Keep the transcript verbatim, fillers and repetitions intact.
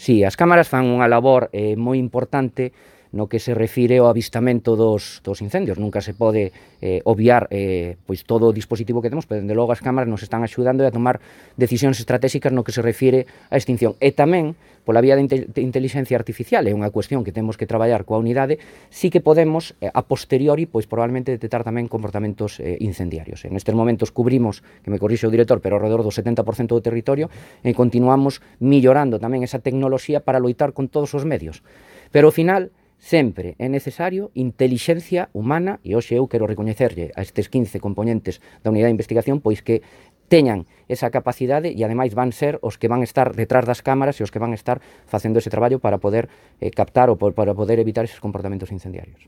Si, as cámaras fan unha labor eh, moi importante no que se refire ao avistamento dos, dos incendios. Nunca se pode eh, obviar eh, pois todo o dispositivo que temos, pero dende logo as cámaras nos están axudando a tomar decisións estratégicas no que se refire á extinción. E tamén, pola vía de, de inteligencia artificial, é unha cuestión que temos que traballar coa unidade, sí que podemos, eh, a posteriori, pois probablemente detectar tamén comportamentos eh, incendiarios. En estes momentos cubrimos, que me corrixe o director, pero alrededor do setenta por cento do territorio, e continuamos millorando tamén esa tecnoloxía para loitar con todos os medios. Pero ao final, sempre é necesario intelixencia humana, e hoxe eu quero recoñecerlle a estes quince componentes da unidade de investigación, pois que teñan esa capacidade e ademais van ser os que van estar detrás das cámaras e os que van estar facendo ese traballo para poder eh, captar ou para poder evitar eses comportamentos incendiarios.